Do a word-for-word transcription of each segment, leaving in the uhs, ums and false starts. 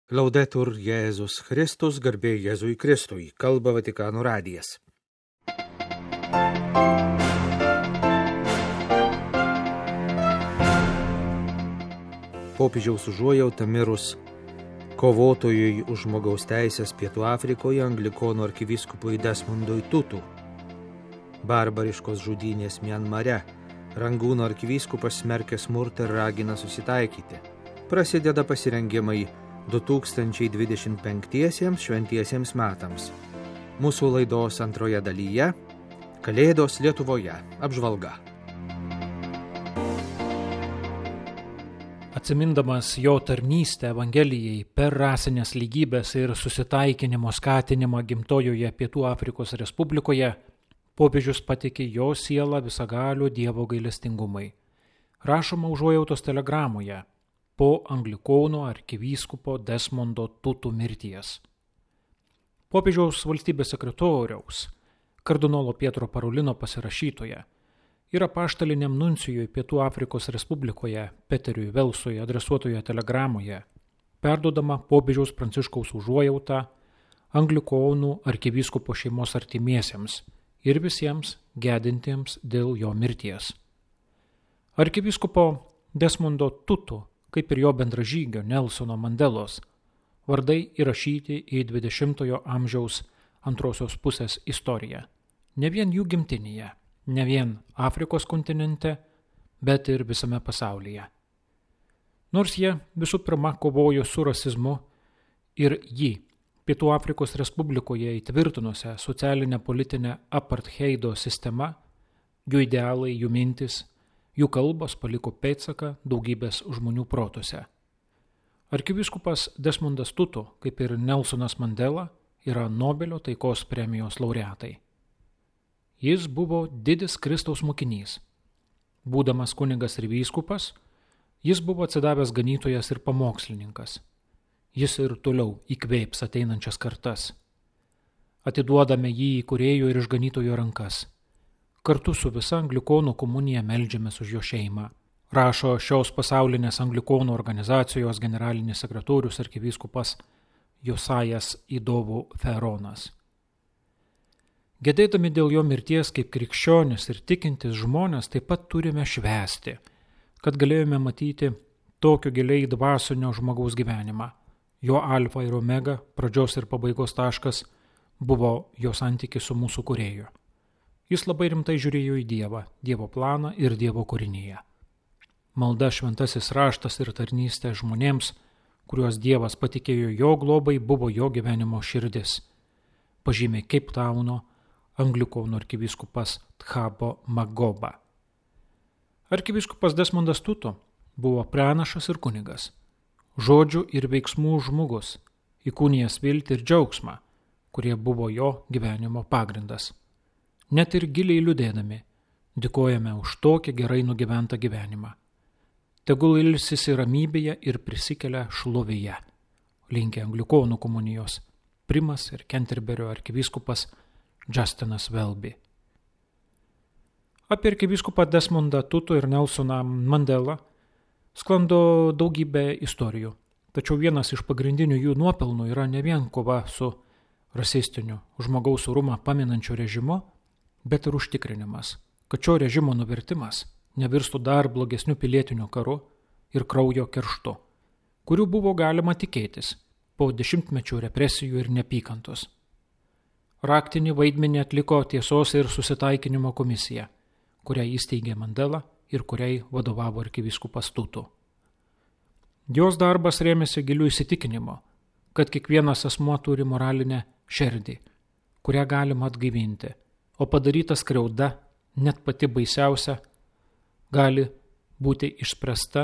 Laudetur Jėzus Kristus, garbė Jėzui Kristui, kalba Vatikano radijas. Popiežiaus užuojauta mirus kovotojui už žmogaus teisės Pietų Afrikoje anglikonų arkivyskupui Desmondui Tutu. Barbariškos žudynės Mianmare. Rangūno arkivyskupas smerkia smurtą ir ragina susitaikyti. Prasideda pasirengimai du tūkstančiai dvidešimt penktiesiems šventiesiems metams. Mūsų laidos antroje dalyje Kalėdos Lietuvoje apžvalga. Atsimindamas jo tarnystę Evangelijai per rasinės lygybės ir susitaikinimo skatinimą gimtojoje Pietų Afrikos Respublikoje, popiežius patikė jo sielą visagalio Dievo gailestingumui. Rašoma užuojautos telegramoje po anglikonų arkivyskupo Desmondo Tutu mirties. Popiežiaus valstybės sekretoriaus, kardinolo Pietro Parolino pasirašytoje ir apaštaliniam nuncijui Pietų Afrikos Respublikoje Peteriui Velsui adresuotoje telegramoje perduodama popiežiaus Pranciškaus užuojautą anglikonų arkivyskupo šeimos artimiesiems ir visiems gedintiems dėl jo mirties. Arkivyskupo Desmondo Tutu, kaip ir jo bendražygio Nelsono Mandelos, vardai įrašyti į dvidešimtojo amžiaus antrosios pusės istoriją. Ne vien jų gimtinėje, ne vien Afrikos kontinente, bet ir visame pasaulyje. Nors jie visų pirma kovojo su rasizmu ir jį Pietų Afrikos Respublikoje įtvirtinusią socialinę politinę apartheido sistemą, jų idealai, jų mintis, jų kalbos paliko pėdsaką daugybės žmonių protuose. Arkivyskupas Desmondas Tutu, kaip ir Nelsonas Mandela, yra Nobelio taikos premijos laureatai. Jis buvo didis Kristaus mokinys. Būdamas kunigas ir vyskupas, jis buvo atsidavęs ganytojas ir pamokslininkas. Jis ir toliau įkvėps ateinančias kartas. Atiduodame jį įkūrėjo ir išganytojo rankas. Kartu su visa anglikonų komunija meldžiamės už jo šeimą, rašo šios pasaulinės anglikonų organizacijos generalinis sekretorius arkivyskupas Josajas Idovų Feronas. Gedėdami dėl jo mirties kaip krikščionis ir tikintis žmonės taip pat turime švęsti, kad galėjome matyti tokio giliai dvasinio žmogaus gyvenimą. Jo alfa ir omega, pradžios ir pabaigos taškas, buvo jo santykis su mūsų kūrėju. Jis labai rimtai žiūrėjo į Dievą, Dievo planą ir Dievo kūrinyje. Malda, šventasis raštas ir tarnystė žmonėms, kuriuos Dievas patikėjo jo globai, buvo jo gyvenimo širdis. Pažymė Cape Towno anglikonų arkivyskupas Thabo Magoba. Arkivyskupas Desmondas Tutu buvo pranašas ir kunigas, žodžių ir veiksmų žmogus, įkūnijęs viltį ir džiaugsmą, kurie buvo jo gyvenimo pagrindas. Net ir giliai liūdėdami, dėkojame už tokį gerai nugyventą gyvenimą. Tegul ilsisi ramybėje ir prisikelia šlovėje, linkė anglikonų komunijos primas ir Kenterberio arkivyskupas Justinas Welby. Apie arkivyskupą Desmondą Tutu ir Nelsoną Mandelą sklando daugybė istorijų, tačiau vienas iš pagrindinių jų nuopelnų yra ne vien kova su rasistiniu, žmogaus orumą paminančiu režimu, bet ir užtikrinimas, kad šio režimo nuvertimas nevirstų dar blogesniu pilietiniu karu ir kraujo kerštu, kurių buvo galima tikėtis po dešimtmečių represijų ir neapykantos. Raktinį vaidmenį atliko tiesos ir susitaikinimo komisija, kurią įsteigė Mandela ir kuriai vadovavo arkivyskupas Tutu. Jos darbas rėmėsi giliu įsitikinimu, kad kiekvienas asmuo turi moralinę šerdį, kurią galima atgaivinti, o padaryta skriauda, net pati baisiausia, gali būti išspręsta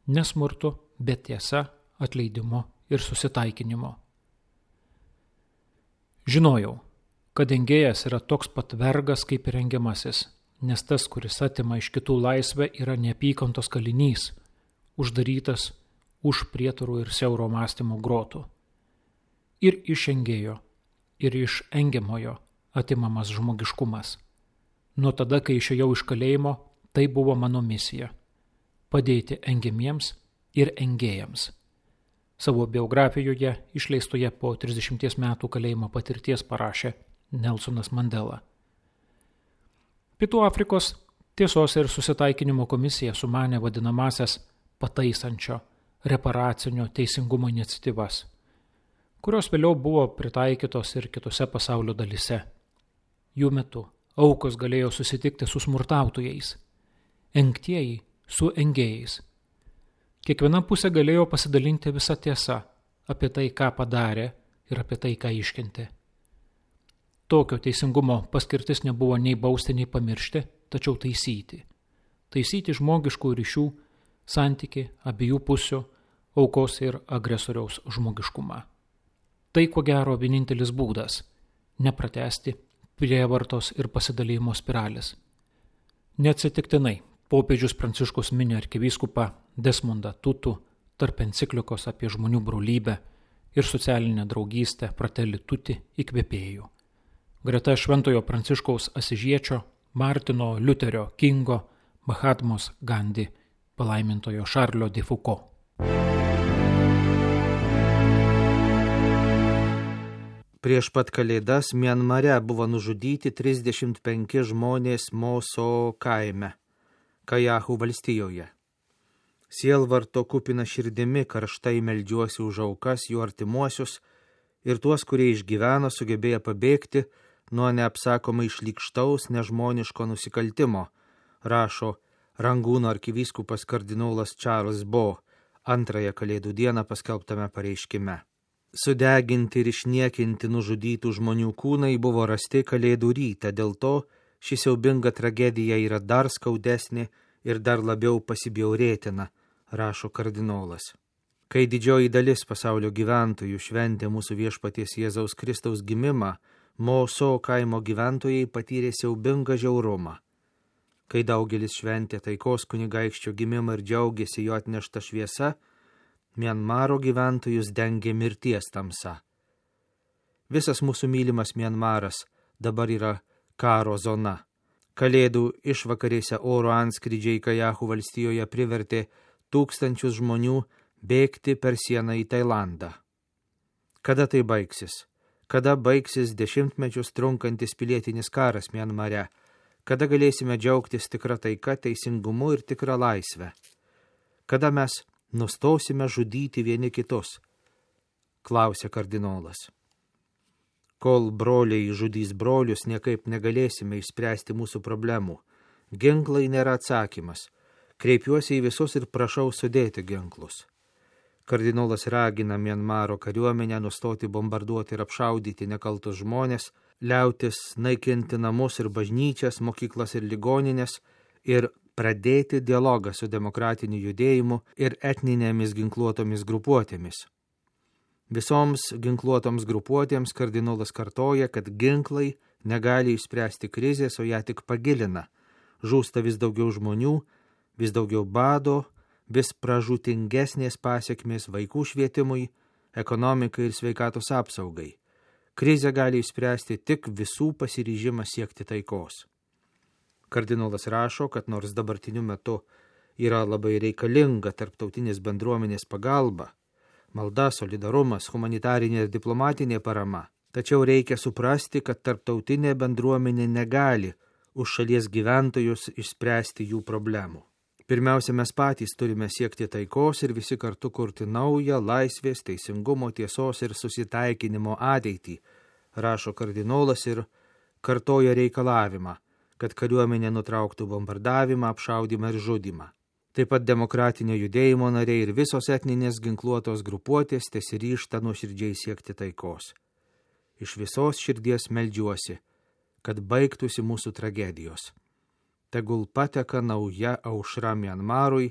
ne smurtu, bet tiesa, atleidimu ir susitaikinimu. Žinojau, kad engėjas yra toks pat vergas kaip ir engiamasis, nes tas, kuris atima iš kitų laisvę, yra neapykantos kalinys, uždarytas už prietarų ir siauro mąstymo grotų. Ir iš engėjo, ir iš engiamojo atimamas žmogiškumas. Nuo tada, kai išėjau iš kalėjimo, tai buvo mano misija – padėti engiamiems ir engėjams. Savo biografijoje, išleistoje po trisdešimties metų kalėjimo patirties, parašė Nelsonas Mandela. Pietų Afrikos tiesos ir susitaikinimo komisija sumanė vadinamasias pataisančio, reparacinio teisingumo iniciatyvas, kurios vėliau buvo pritaikytos ir kitose pasaulio dalyse. Jų metu aukos galėjo susitikti su smurtautojais, engtieji su engėjais. Kiekviena pusė galėjo pasidalinti visą tiesą apie tai, ką padarė ir apie tai, ką iškentė. Tokio teisingumo paskirtis nebuvo nei bausti, nei pamiršti, tačiau taisyti. Taisyti žmogiškų ryšių, santyki, abiejų pusių, aukos ir agresoriaus žmogiškumą. Tai, ko gero, vienintelis būdas – nepratęsti prievartos ir pasidalijimo spiralės. Neatsitiktinai popiežius Pranciškus mini arkivyskupą Desmondą Tutu tarp enciklikos apie žmonių brolybę ir socialinę draugystę Fratelli Tutti įkvėpėjų. Greta šventojo Pranciškaus Asižiečio, Martino Liuterio Kingo, Mahatmos Gandhi, palaimintojo Šarlio de Foucault. Prieš pat Kalėdas Mianmare buvo nužudyti trisdešimt penki žmonės Moso kaime, Kajahų valstijoje. Sielvarto kupina širdimi karštai meldžiuosi už aukas, jų artimuosius ir tuos, kurie išgyveno, sugebėjo pabėgti nuo neapsakomai šlykštaus nežmoniško nusikaltimo, rašo Rangūno arkivyskupas kardinolas Charles Bo antrąją Kalėdų dieną paskelbtame pareiškime. Sudeginti ir išniekinti nužudytų žmonių kūnai buvo rasti Kalėdų rytą, dėl to ši siaubinga tragedija yra dar skaudesnė ir dar labiau pasibjaurėtina, rašo kardinolas. Kai didžioji dalis pasaulio gyventojų šventė mūsų viešpaties Jėzaus Kristaus gimimą, Moso kaimo gyventojai patyrė siaubingą žiaurumą. Kai daugelis šventė taikos kunigaikščio gimimą ir džiaugėsi jo atnešta šviesa, Mianmaro gyventojus dengė mirties tamsa. Visas mūsų mylimas Mianmaras dabar yra karo zona. Kalėdų išvakarėse oro antskrydžiai Kajahų valstijoje privertė tūkstančius žmonių bėgti per sieną į Tailandą. Kada tai baigsis? Kada baigsis dešimtmečius trunkantis pilietinis karas Mianmare? Kada galėsime džiaugtis tikra taika, teisingumu ir tikra laisvę? Kada mes nustosime žudyti vieni kitus? Klausė kardinolas. Kol broliai žudys brolius, niekaip negalėsime išspręsti mūsų problemų. Ginklai nėra atsakymas. Kreipiuosi į visus ir prašau sudėti ginklus. Kardinolas ragina Mianmaro kariuomenę nustoti bombarduoti ir apšaudyti nekaltus žmonės, liautis naikinti namus ir bažnyčias, mokyklas ir ligoninės ir pradėti dialogą su demokratiniu judėjimu ir etninėmis ginkluotomis grupuotėmis. Visoms ginkluotoms grupuotėms kardinolas kartoja, kad ginklai negali išspręsti krizės, o ją tik pagilina. Žūsta vis daugiau žmonių, vis daugiau bado, vis pražūtingesnės pasiekmės vaikų švietimui, ekonomikai ir sveikatos apsaugai. Krizę gali išspręsti tik visų pasiryžimas siekti taikos. Kardinolas rašo, kad nors dabartiniu metu yra labai reikalinga tarptautinės bendruomenės pagalba, malda, solidarumas, humanitarinė ir diplomatinė parama, tačiau reikia suprasti, kad tarptautinė bendruomenė negali už šalies gyventojus išspręsti jų problemų. Pirmiausia, mes patys turime siekti taikos ir visi kartu kurti naują laisvės, teisingumo, tiesos ir susitaikinimo ateitį, rašo kardinolas ir kartoja reikalavimą, kad kariuomenė nutrauktų bombardavimą, apšaudymą ir žudymą. Taip pat demokratinio judėjimo nariai ir visos etninės ginkluotos grupuotės tesiryžta nuoširdžiai siekti taikos. Iš visos širdies meldžiuosi, kad baigtųsi mūsų tragedijos. Tegul pateka nauja aušra Mianmarui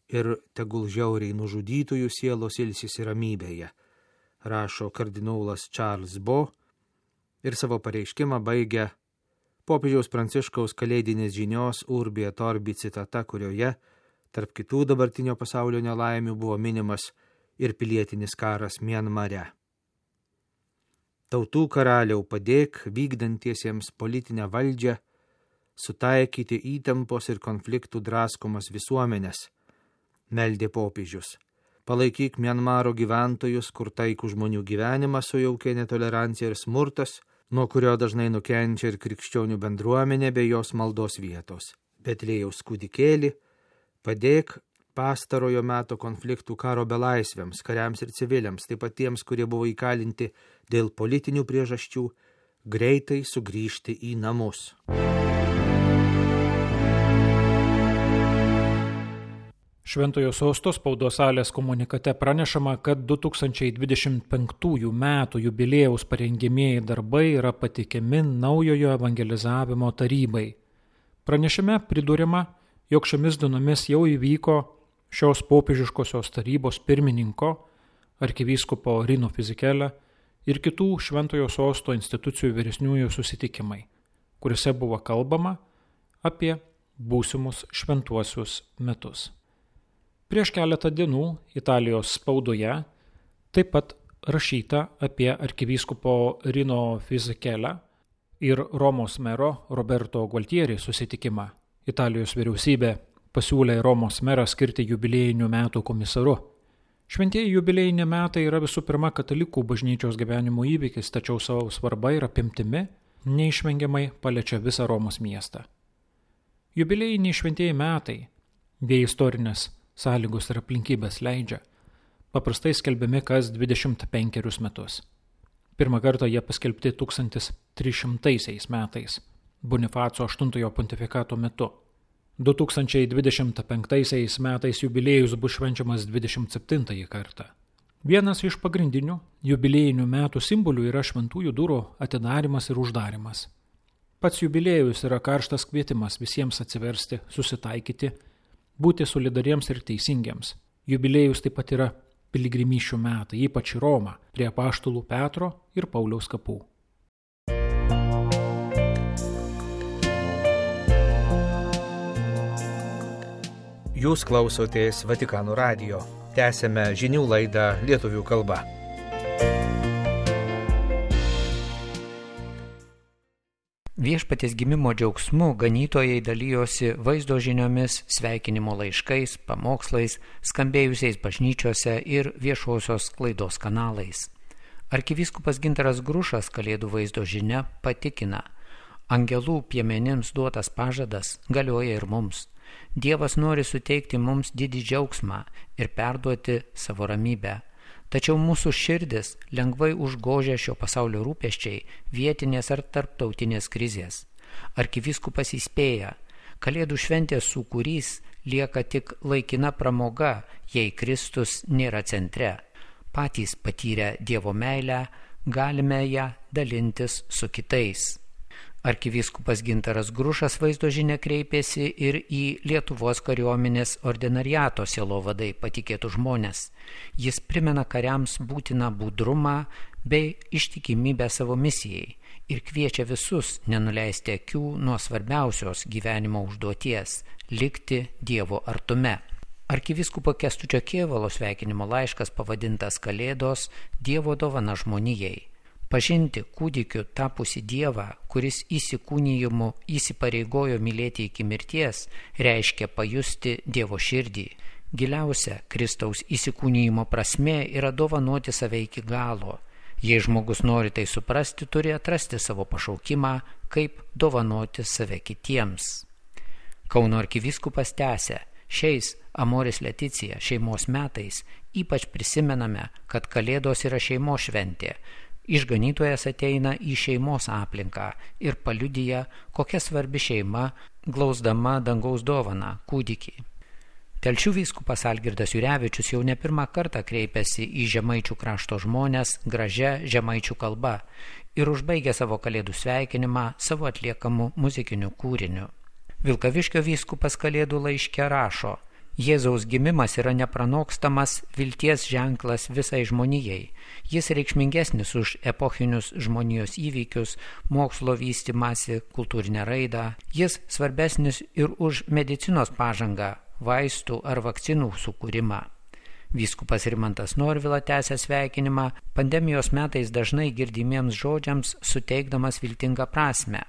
ir tegul žiauriai nužudytųjų sielos ilsisi ramybėje, rašo kardinolas Charles Bo ir savo pareiškimą baigia popiežiaus Pranciškaus kalėdinės žinios Urbi et Orbi citata, kurioje tarp kitų dabartinio pasaulio nelaimių buvo minimas ir pilietinis karas Mianmare. Tautų karaliau, padėk vykdantiesiems politinę valdžią sutaikyti įtampos ir konfliktų draskomas visuomenės, meldė popiežius. palaikyk Mianmaro gyventojus, kur taikų žmonių gyvenimą sujaukė netolerancija ir smurtas, nuo kurio dažnai nukenčia ir krikščionių bendruomenė bei jos maldos vietos. Betliejaus kūdikėli, padėk pastarojo meto konfliktų karo belaisviams, kariams ir civiliams, taip pat tiems, kurie buvo įkalinti dėl politinių priežasčių, greitai sugrįžti į namus. Šventojo Sosto spaudos salės komunikate pranešama, kad du tūkstančiai dvidešimt penktųjų metų jubiliejaus parengimieji darbai yra patikiami naujojo evangelizavimo tarybai. Pranešime pridūrima, jog šiomis dienomis jau įvyko šios popiežiškosios tarybos pirmininko, arkivyskupo Rino Fisichella ir kitų Šventojo Sosto institucijų vyresniųjų susitikimai, kuriuose buvo kalbama apie būsimus šventuosius metus. Prieš keletą dienų Italijos spaudoje taip pat rašyta apie arkivyskupo Rino Fisichella ir Romos mero Roberto Gualtieri susitikimą. Italijos vyriausybė pasiūlė Romos merą skirti jubiliejinių metų komisaru. Šventieji jubiliejiniai metai yra visų pirma katalikų bažnyčios gyvenimo įvykis, tačiau savo svarba ir apimtimi neišvengiamai paliečia visą Romos miestą. Jubiliejiniai šventieji metai, bei istorinės sąlygos ir aplinkybės leidžia, paprastai skelbiami kas dvidešimt penkerius metus. Pirmą kartą jie paskelbti tūkstantis trys šimtaisiais metais, Bonifaco aštuntojo pontifikato metu. du tūkstančiai dvidešimt penktaisiais metais jubiliejus bus švenčiamas dvidešimt septintąjį kartą. Vienas iš pagrindinių jubiliejinių metų simbolių yra šventųjų durų atidarimas ir uždarimas. Pats jubiliejus yra karštas kvietimas visiems atsiversti, susitaikyti, būti solidariems ir teisingiems. Jubiliejus taip pat yra piligrimysčių metai, ypač į Romą, prie apaštalų Petro ir Pauliaus kapų. Jūs klausotės Vatikano radijo. Tęsėme žinių laidą lietuvių kalba. Viešpaties gimimo džiaugsmu ganytojai dalyjosi vaizdo žiniomis, sveikinimo laiškais, pamokslais, skambėjusiais bažnyčiose ir viešosios sklaidos kanalais. Arkivyskupas Gintaras Grušas Kalėdų vaizdo žinia patikina, angelų piemenims duotas pažadas galioja ir mums. Dievas nori suteikti mums didį džiaugsmą ir perduoti savo ramybę. Tačiau mūsų širdis lengvai užgožia šio pasaulio rūpesčiai, vietinės ar tarptautinės krizės. Arkivyskupas įspėja, Kalėdų šventės sūkurys lieka tik laikina pramoga, jei Kristus nėra centre. Patys patyrę Dievo meilę, galime ją dalintis su kitais. Arkivyskupas Gintaras Grušas vaizdo žinia kreipėsi ir į Lietuvos kariuomenės ordinariato sielovadai patikėtų žmonės. Jis primena kariams būtiną budrumą bei ištikimybę savo misijai ir kviečia visus nenuleisti akių nuo svarbiausios gyvenimo užduoties – likti Dievo artume. Arkivyskupo Kęstučio Kėvalo sveikinimo laiškas pavadintas Kalėdos Dievo dovana žmonijai. Pažinti kūdikiu tapusi Dievą, kuris įsikūnijimu įsipareigojo mylėti iki mirties, reiškia pajusti Dievo širdį. Giliausia Kristaus įsikūnijimo prasmė yra dovanoti save iki galo. Jei žmogus nori tai suprasti, turi atrasti savo pašaukimą, kaip dovanoti save kitiems. Kauno arkivyskupas tęsia, šiais Amoris Leticija šeimos metais ypač prisimename, kad Kalėdos yra šeimos šventė. Išganytojas ateina į šeimos aplinką ir paliudija, kokia svarbi šeima, glausdama dangaus dovaną kūdikį. Telšių vyskupas Algirdas Jurevičius jau ne pirmą kartą kreipėsi į žemaičių krašto žmonės gražia žemaičių kalba ir užbaigė savo Kalėdų sveikinimą savo atliekamu muzikiniu kūriniu. Vilkaviškio vyskupas Kalėdų laiške rašo, Jėzaus gimimas yra nepranokstamas vilties ženklas visai žmonijai. Jis reikšmingesnis už epochinius žmonijos įvykius, mokslo vystymąsi, kultūrinę raidą. Jis svarbesnis ir už medicinos pažangą, vaistų ar vakcinų sukūrimą. Vyskupas Rimantas Norvila tęsia sveikinimą pandemijos metais dažnai girdimiems žodžiams suteikdamas viltingą prasmę.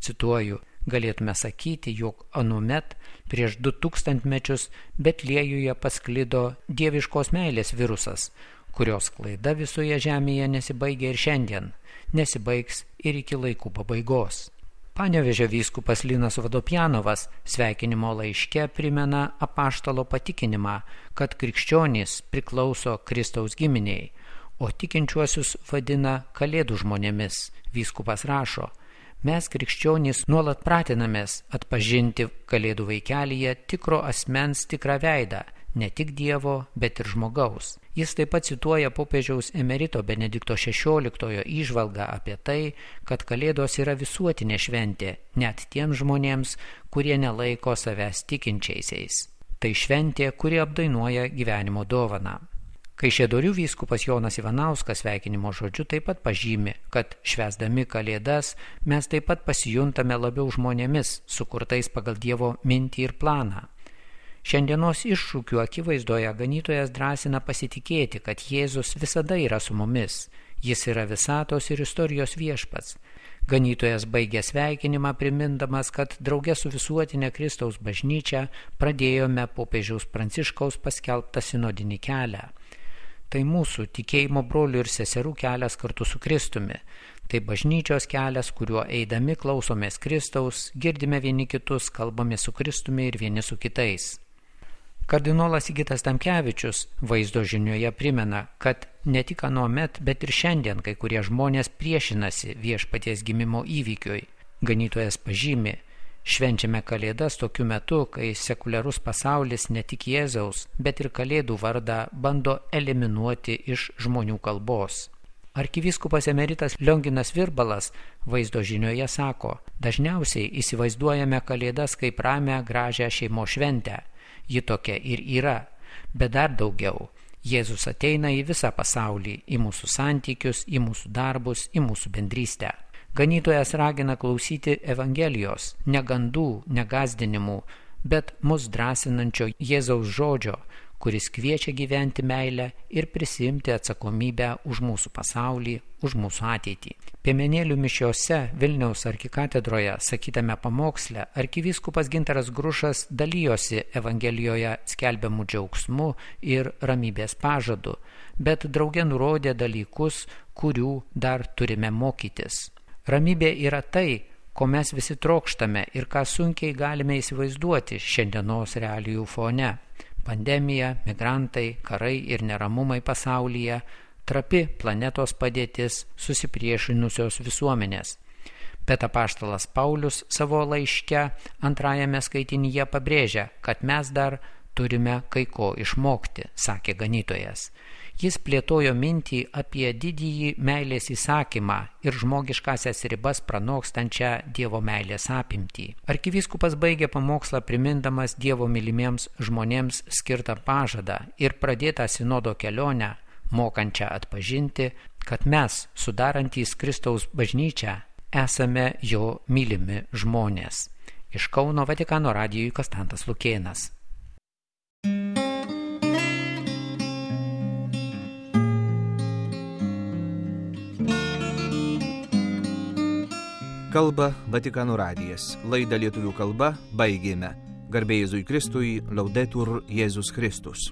Cituoju, Galėtume sakyti, jog anuomet prieš du tūkstantmečius Betliejuje pasklido dieviškos meilės virusas, kurios sklaida visoje žemėje nesibaigia ir šiandien, nesibaigs ir iki laikų pabaigos. Panevėžio vyskupas Linas Vodopjanovas sveikinimo laiške primena apaštalo patikinimą, kad krikščionys priklauso Kristaus giminiai, o tikinčiuosius vadina kalėdų žmonėmis. Vyskupas rašo: mes krikščionys nuolat pratinamės atpažinti kalėdų vaikelyje tikro asmens tikrą veidą, ne tik Dievo, bet ir žmogaus. Jis taip pat cituoja popiežiaus emerito Benedikto šešioliktojo įžvalgą apie tai, kad kalėdos yra visuotinė šventė, net tiems žmonėms, kurie nelaiko savęs tikinčiaisiais. Tai šventė, kuri apdainuoja gyvenimo dovaną. Kaišiadorių vyskupas Jonas Ivanauskas sveikinimo žodžiu taip pat pažymi, kad švęsdami kalėdas mes taip pat pasijuntame labiau žmonėmis, sukurtais pagal Dievo mintį ir planą. Šiandienos iššūkių akivaizdoje ganytojas drąsina pasitikėti, kad Jėzus visada yra su mumis. Jis yra visatos ir istorijos viešpats. Ganytojas baigė sveikinimą primindamas, kad drauge su visuotinė Kristaus bažnyčia pradėjome popiežiaus Pranciškaus paskelbtą sinodinį kelią. Tai mūsų tikėjimo brolių ir seserų kelias kartu su Kristumi. Tai bažnyčios kelias, kuriuo eidami klausomės Kristaus, girdime vieni kitus, kalbame su Kristumi ir vieni su kitais. Kardinolas Sigitas Tamkevičius vaizdo žinioje primena, kad ne tik anuomet, bet ir šiandien kai kurie žmonės priešinasi viešpaties gimimo įvykiui. Ganytojas pažymi: švenčiame kalėdas tokiu metu, kai sekuliarus pasaulis ne tik Jėzaus, bet ir kalėdų vardą bando eliminuoti iš žmonių kalbos. Arkivyskupas emeritas Lionginas Virbalas vaizdo žinioje sako: dažniausiai įsivaizduojame kalėdas kaip ramią, gražią šeimos šventę. Ji tokia ir yra, bet dar daugiau. Jėzus ateina į visą pasaulį, į mūsų santykius, į mūsų darbus, į mūsų bendrystę. Ganytojas ragina klausyti Evangelijos, ne gandų, ne gąsdinimų, bet mus drąsinančio Jėzaus žodžio, kuris kviečia gyventi meilę ir prisiimti atsakomybę už mūsų pasaulį, už mūsų ateitį. Piemenėlių mišiose Vilniaus arkikatedroje sakytame pamoksle arkivyskupas Gintaras Grušas dalijosi Evangelijoje skelbiamų džiaugsmu ir ramybės pažadu, bet drauge nurodė dalykus, kurių dar turime mokytis. Ramybė yra tai, ko mes visi trokštame ir ką sunkiai galime įsivaizduoti šiandienos realijų fone. Pandemija, migrantai, karai ir neramumai pasaulyje, trapi planetos padėtis, susipriešinusios visuomenės. Bet apaštalas Paulius savo laiške antrajame skaitinyje pabrėžia, kad mes dar turime kai ko išmokti, sakė ganytojas. Jis plėtojo mintį apie didįjį meilės įsakymą ir žmogiškasias ribas pranokstančią Dievo meilės apimtį. Arkivyskupas baigė pamokslą primindamas Dievo mylimiems žmonėms skirtą pažadą ir pradėtą sinodo kelionę, mokančią atpažinti, kad mes, sudarantys Kristaus bažnyčią, esame jo mylimi žmonės. Iš Kauno Vatikano radijui Konstantas Lukėnas. Kalba Vatikano radijas. Laidą lietuvių kalba baigėme. Garbė Jėzui Kristui, Laudetur Jėzus Kristus.